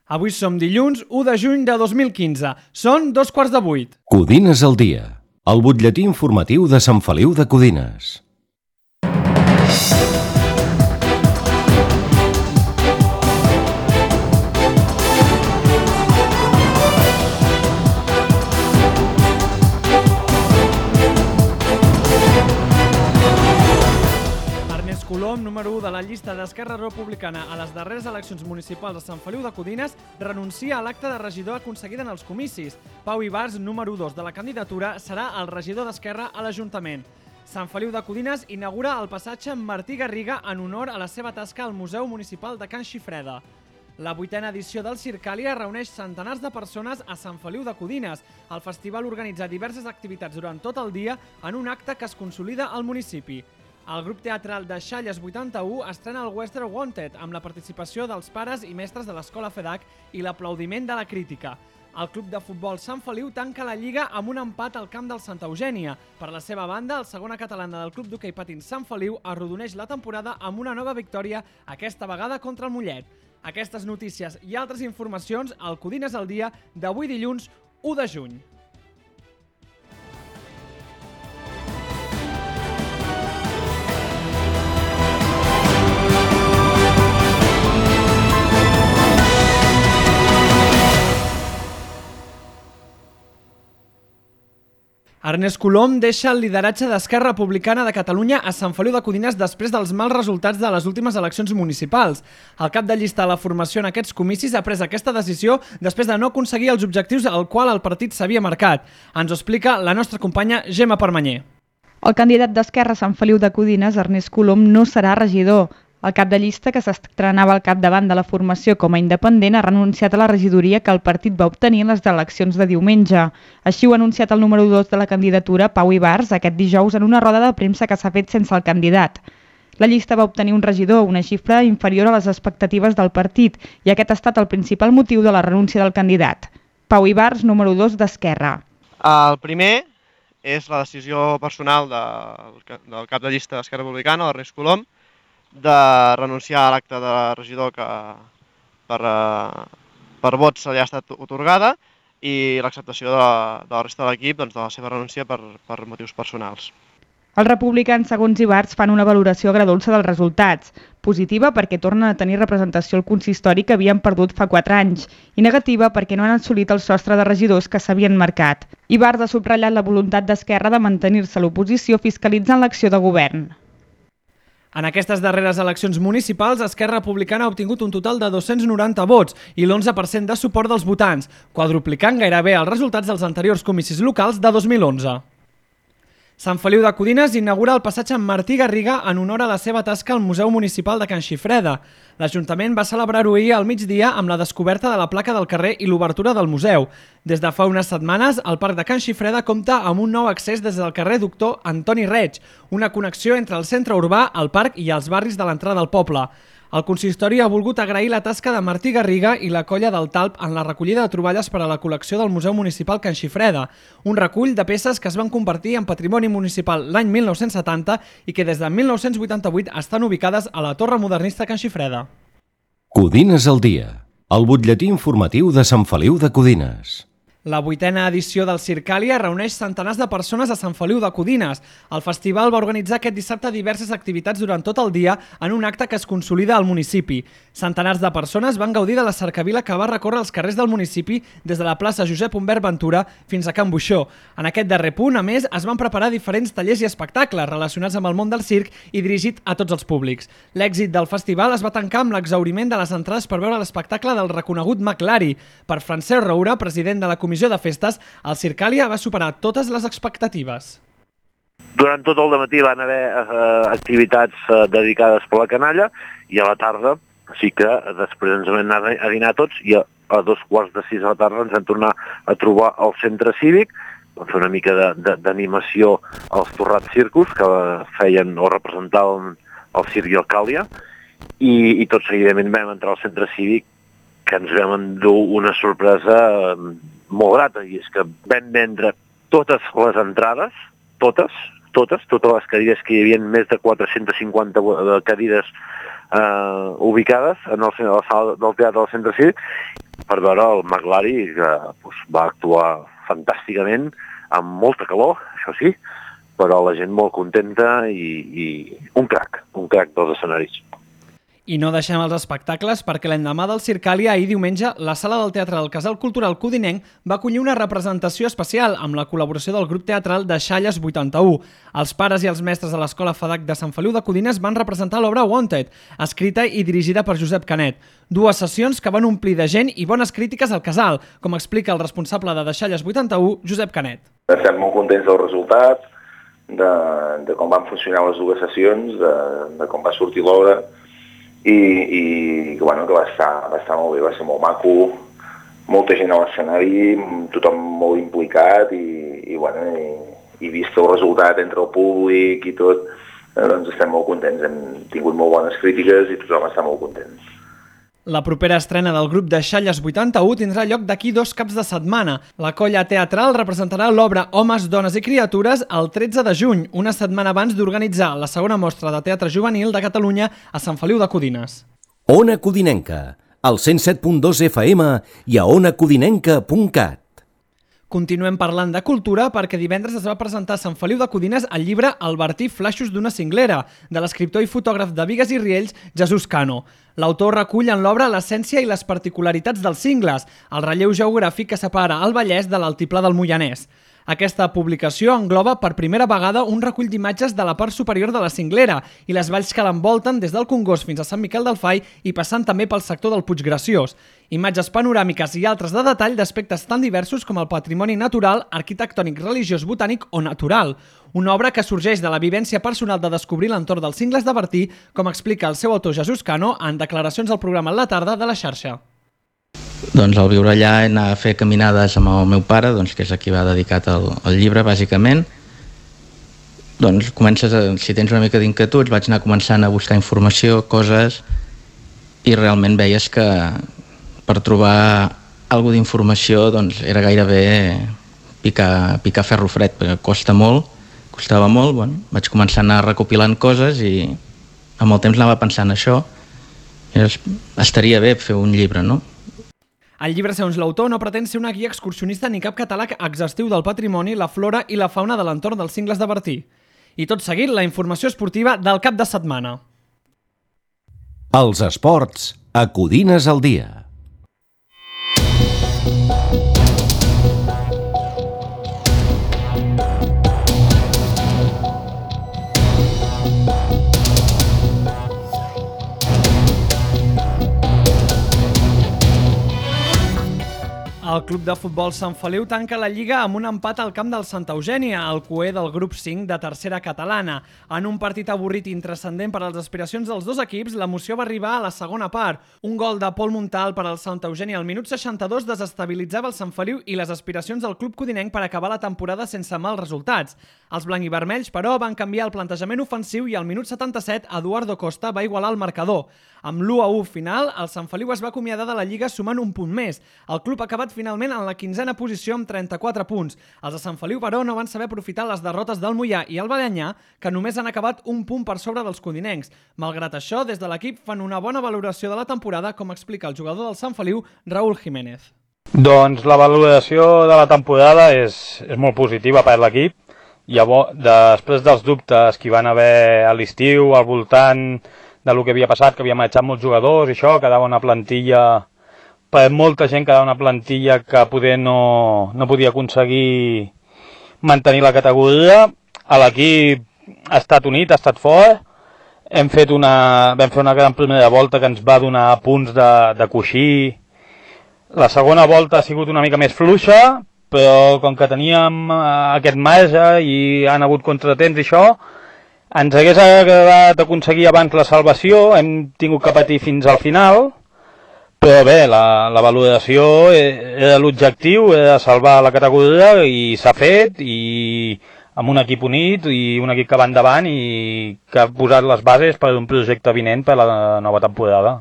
Avui som dilluns 1 de juny de 2015. Són 7:45. Codines al dia, el butlletí informatiu de Sant Feliu de Codines. Colom, número 1 de la llista d'Esquerra Republicana a les darreres eleccions municipals a Sant Feliu de Codines, renuncia a l'acta de regidor aconseguida en els comicis. Pau Ibars, número 2 de la candidatura, serà el regidor d'Esquerra a l'Ajuntament. Sant Feliu de Codines inaugura el passatge Martí Garriga en honor a la seva tasca al Museu Municipal de Can Xifreda. La 8a edició del Circàlia reuneix centenars de persones a Sant Feliu de Codines. El festival organitza diverses activitats durant tot el dia en un acte que es consolida al municipi. El grup teatral de Xalles 81 estrena el Western Wanted amb la participació dels pares i mestres de l'escola FEDAC i l'aplaudiment de la crítica. El club de futbol Sant Feliu tanca la lliga amb un empat al camp del Santa Eugènia. Per la seva banda, el segona catalana del club d'hoquei patins Sant Feliu arrodoneix la temporada amb una nova victòria, aquesta vegada contra el Mollet. Aquestes notícies i altres informacions al Codines al dia d'avui dilluns 1 de juny. Ernest Colom deixa el lideratge d'Esquerra Republicana de Catalunya a Sant Feliu de Codines després dels mals resultats de les últimes eleccions municipals. El cap de llista de la formació en aquests comicis ha pres aquesta decisió després de no aconseguir els objectius al qual el partit s'havia marcat. Ens ho explica la nostra companya Gemma Permanyer. El candidat d'Esquerra a Sant Feliu de Codines, Ernest Colom, no serà regidor. El cap de llista, que s'estrenava al capdavant de la formació com a independent, ha renunciat a la regidoria que el partit va obtenir en les eleccions de diumenge. Així ho ha anunciat el número 2 de la candidatura, Pau Ibars, aquest dijous en una roda de premsa que s'ha fet sense el candidat. La llista va obtenir un regidor, una xifra inferior a les expectatives del partit, i aquest ha estat el principal motiu de la renúncia del candidat. Pau Ibars, número 2 d'Esquerra. El primer és la decisió personal del cap de llista d'Esquerra Republicana, Ernest Colom, de renunciar a l'acte de regidor que per vots se li ha estat otorgada i l'acceptació de la resta de l'equip de la seva renúncia per motius personals. Els republicans, segons Ibars, fan una valoració agredolça dels resultats, positiva perquè tornen a tenir representació al consistori que havien perdut fa 4 anys i negativa perquè no han assolit el sostre de regidors que s'havien marcat. Ibars ha subratllat la voluntat d'Esquerra de mantenir-se a l'oposició fiscalitzant l'acció de govern. En aquestes darreres eleccions municipals, Esquerra Republicana ha obtingut un total de 290 vots i l'11% de suport dels votants, quadruplicant gairebé els resultats dels anteriors comicis locals de 2011. Sant Feliu de Codines inaugura el passatge Martí Garriga en honor a la seva tasca al Museu Municipal de Can Xifreda. L'Ajuntament va celebrar-ho ahir al migdia amb la descoberta de la placa del carrer i l'obertura del museu. Des de fa unes setmanes, el Parc de Can Xifreda compta amb un nou accés des del carrer Doctor Antoni Reig, una connexió entre el centre urbà, el parc i els barris de l'entrada del poble. El consistori ha volgut agrair la tasca de Martí Garriga i la colla del Talp en la recollida de troballes per a la col·lecció del Museu Municipal Can Xifreda, un recull de peces que es van convertir en patrimoni municipal l'any 1970 i que des de 1988 estan ubicades a la Torre Modernista Can Xifreda. Codines al dia, el butlletí informatiu de Sant Feliu de Codines. La 8a edició del Circàlia reuneix centenars de persones a Sant Feliu de Codines. El festival va organitzar aquest dissabte diverses activitats durant tot el dia en un acte que es consolida al municipi. Centenars de persones van gaudir de la cercavila que va recórrer els carrers del municipi des de la plaça Josep Humbert Ventura fins a Can Buixó. En aquest darrer punt, a més, es van preparar diferents tallers i espectacles relacionats amb el món del circ i dirigit a tots els públics. L'èxit del festival es va tancar amb l'exhauriment de les entrades per veure l'espectacle del reconegut McLari. Per Francesc Roura, president de la Comissió de Festes, el Circàlia va superar totes les expectatives. Durant tot el dematí van haver activitats dedicades per la canalla i a la tarda sí que després ens vam anar a dinar tots i a 5:45 de la tarda ens vam tornar a trobar al centre cívic, vam fer una mica d'animació als Torrats Circus que feien o representaven el circ i el Càlia i tot seguidament vam entrar al centre cívic que ens vam endur una sorpresa molt grata, i és que vam vendre totes les entrades, totes les cadires que hi havia, més de 450 cadires ubicades a la sala del teatre del Centre Cívic per veure el McLary, que va actuar fantàsticament, amb molta calor, això sí, però la gent molt contenta i un crac dels escenaris. I no deixem els espectacles perquè l'endemà del Circàlia, ahir diumenge, la sala del Teatre del Casal Cultural Codinenc va acollir una representació especial amb la col·laboració del grup teatral de Xalles 81. Els pares i els mestres de l'Escola FADAC de Sant Feliu de Codines van representar l'obra Wanted, escrita i dirigida per Josep Canet. Dues sessions que van omplir de gent i bones crítiques al casal, com explica el responsable de Xalles 81, Josep Canet. Estem molt contents del resultat, de com van funcionar les dues sessions, de com va sortir l'obra, i bueno, que va estar molt bé, va ser molt maco, molta gent a l'escenari, tothom molt implicat i vist el resultat entre el públic i tot, doncs estem molt contents, hem tingut molt bones crítiques i tothom està molt content. La propera estrena del grup de Xalles 81 tindrà lloc d'aquí 2 caps de setmana. La colla teatral representarà l'obra Homes, Dones i Criatures el 13 de juny, una setmana abans d'organitzar la segona mostra de teatre juvenil de Catalunya a Sant Feliu de Codines. Ona Codinenca, al 107.2 FM i a onacodinenca.cat. Continuem parlant de cultura perquè divendres es va presentar a Sant Feliu de Codines el llibre Albertí, flaixos d'una cinglera, de l'escriptor i fotògraf de Bigues i Riells, Jesús Cano. L'autor recull en l'obra l'essència i les particularitats dels cingles, el relleu geogràfic que separa el Vallès de l'altiplà del Moianès. Aquesta publicació engloba per primera vegada un recull d'imatges de la part superior de la cinglera i les valls que l'envolten des del Congost fins a Sant Miquel del Fai i passant també pel sector del Puig Graciós. Imatges panoràmiques i altres de detall d'aspectes tan diversos com el patrimoni natural, arquitectònic, religiós, botànic o natural. Una obra que sorgeix de la vivència personal de descobrir l'entorn dels cingles de Bertí, com explica el seu autor Jesús Cano en declaracions al programa La Tarda de la xarxa. Doncs al viure allà he anat a fer caminades amb el meu pare, que és a qui va dedicat el llibre, bàsicament. Doncs si tens una mica d'inquietuds, vaig anar començant a buscar informació, coses, i realment veies que per trobar alguna d'informació era gairebé picar ferro fred, perquè costava molt. Vaig començar a anar recopilant coses i amb el temps anava pensant això. Estaria bé fer un llibre, no? El llibre, segons l'autor, no pretén ser una guia excursionista ni cap catàleg exhaustiu del patrimoni, la flora i la fauna de l'entorn dels cingles de Bertí. I tot seguit, la informació esportiva del cap de setmana. Els esports a Codines al dia. El Club de Futbol Sant Feliu tanca la Lliga amb un empat al camp del Santa Eugènia, el cuer del grup 5 de tercera catalana. En un partit avorrit i intranscendent per a les aspiracions dels dos equips, l'emoció va arribar a la segona part. Un gol de Pol Montal per al Santa Eugènia al minut 62 desestabilitzava el Sant Feliu i les aspiracions del club codinenc per acabar la temporada sense mals resultats. Els blanc-i-vermells, però, van canviar el plantejament ofensiu i al minut 77 Eduardo Costa va igualar el marcador. Amb l'1-1 final, el Sant Feliu es va acomiadar de la Lliga sumant un punt més. El club ha acabat finalment en la 15a posició amb 34 punts. Els de Sant Feliu, però, no van saber aprofitar les derrotes del Moià i el Balenyà, que només han acabat un punt per sobre dels codinencs. Malgrat això, des de l'equip fan una bona valoració de la temporada, com explica el jugador del Sant Feliu, Raúl Jiménez. Doncs la valoració de la temporada és molt positiva per l'equip. Llavors, després dels dubtes que hi van haver a l'estiu, al voltant del que havia passat, que havia marxat molts jugadors i això, quedava una plantilla, per molta gent quedava una plantilla que poder no podia aconseguir mantenir la categoria. L'equip ha estat unit, ha estat fort, vam fer una gran primera volta que ens va donar punts de coixí. La segona volta ha sigut una mica més fluixa, però com que teníem aquest marge i han hagut contratemps i això, ens hagués agradat aconseguir abans la salvació, hem tingut que patir fins al final, però bé, la valoració era l'objectiu, era salvar la categoria i s'ha fet, i amb un equip unit i un equip que va endavant i que ha posat les bases per un projecte vinent per la nova temporada.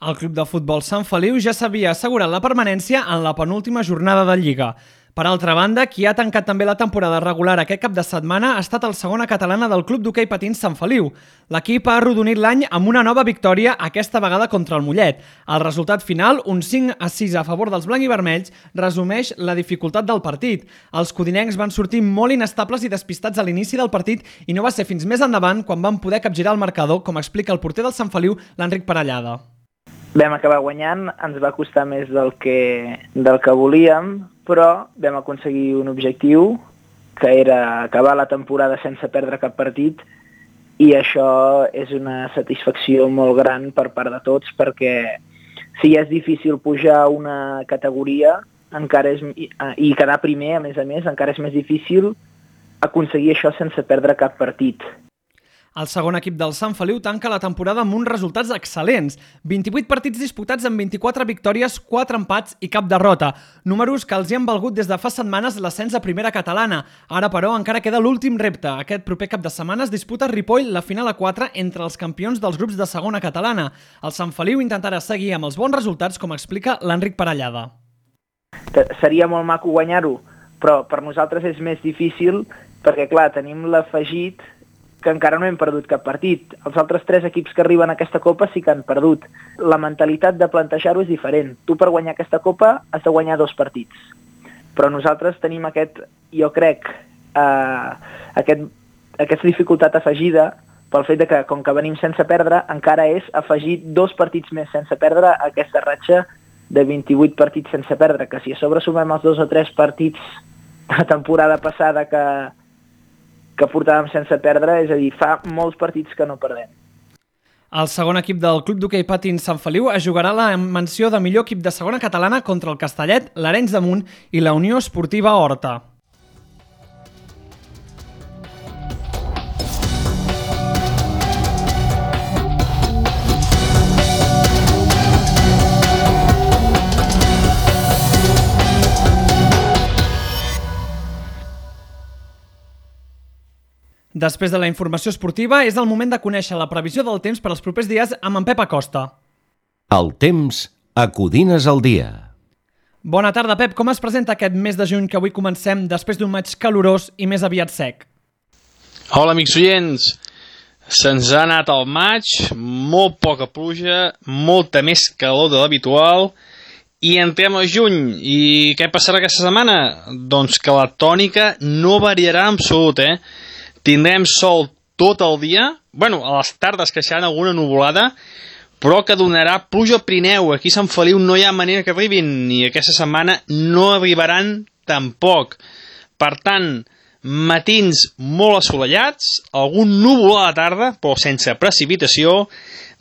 El Club de Futbol Sant Feliu ja s'havia assegurat la permanència en la penúltima jornada de Lliga. Per altra banda, qui ha tancat també la temporada regular aquest cap de setmana ha estat el segona catalana del Club d'Hoquei Patins Sant Feliu. L'equip ha arrodonit l'any amb una nova victòria, aquesta vegada contra el Mollet. El resultat final, un 5-6 a favor dels blanc i vermells, resumeix la dificultat del partit. Els codinencs van sortir molt inestables i despistats a l'inici del partit i no va ser fins més endavant quan van poder capgirar el marcador, com explica el porter del Sant Feliu, l'Enric Parellada. Vam acabar guanyant, ens va costar més del que volíem, però vam aconseguir un objectiu, que era acabar la temporada sense perdre cap partit, i això és una satisfacció molt gran per part de tots, perquè si ja és difícil pujar una categoria i quedar primer, a més, encara és més difícil aconseguir això sense perdre cap partit. El segon equip del Sant Feliu tanca la temporada amb uns resultats excel·lents. 28 partits disputats amb 24 victòries, 4 empats i cap derrota. Números que els hi han valgut des de fa setmanes l'ascens a primera catalana. Ara, però, encara queda l'últim repte. Aquest proper cap de setmana es disputa a Ripoll la final a 4 entre els campions dels grups de segona catalana. El Sant Feliu intentarà seguir amb els bons resultats, com explica l'Enric Parellada. Seria molt maco guanyar-ho, però per nosaltres és més difícil perquè, clar, tenim l'afegit que encara no hem perdut cap partit. Els altres 3 equips que arriben a aquesta Copa sí que han perdut. La mentalitat de plantejar-ho és diferent. Tu per guanyar aquesta Copa has de guanyar 2 partits. Però nosaltres tenim jo crec, aquesta dificultat afegida pel fet que, com que venim sense perdre, encara és afegir 2 partits més sense perdre a aquesta ratxa de 28 partits sense perdre, que si a sobre sumem els 2 o 3 partits de la temporada passada que portàvem sense perdre, és a dir, fa molts partits que no perdem. El segon equip del Club d'Hoquei Patins Sant Feliu es jugarà la menció de millor equip de segona catalana contra el Castellet, l'Arenys de Munt i la Unió Esportiva Horta. Després de la informació esportiva, és el moment de conèixer la previsió del temps per als propers dies amb en Pep Acosta. El temps a Codines al dia. Bona tarda, Pep. Com es presenta aquest mes de juny que avui comencem després d'un maig calorós i més aviat sec? Hola, amics oients. Se'ns ha anat el maig, molt poca pluja, molta més calor de l'habitual i entrem a juny. I què passarà aquesta setmana? Doncs que la tònica no variarà en absolut, Tindrem sol tot el dia, a les tardes que seran alguna nuvolada, però que donarà pluja al Pirineu. Aquí a Sant Feliu no hi ha manera que arribin, i aquesta setmana no arribaran tampoc. Per tant, matins molt assolellats, algun núvol a la tarda, però sense precipitació,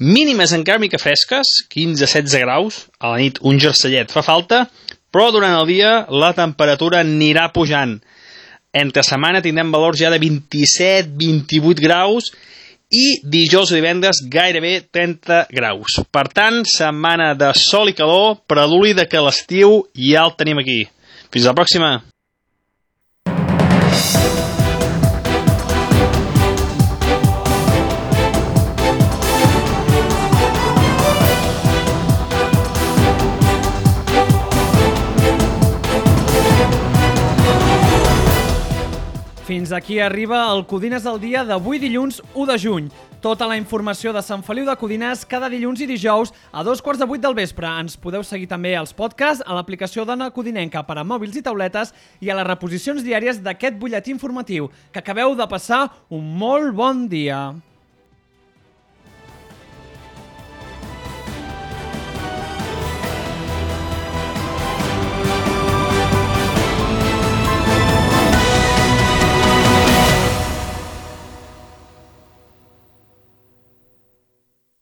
mínimes encara mica fresques, 15-16 graus, a la nit un jersellet fa falta, però durant el dia la temperatura anirà pujant. Entre setmana tindrem valors ja de 27-28 graus i dijous i divendres gairebé 30 graus. Per tant, setmana de sol i calor, preludi de que l'estiu ja el tenim aquí. Fins la pròxima! Fins aquí arriba el Codines al dia d'avui dilluns 1 de juny. Tota la informació de Sant Feliu de Codines cada dilluns i dijous a 7:45 del vespre. Ens podeu seguir també als podcasts, a l'aplicació d'Ona Codinenca per a mòbils i tauletes i a les reposicions diàries d'aquest butlletí informatiu. Que acabeu de passar un molt bon dia.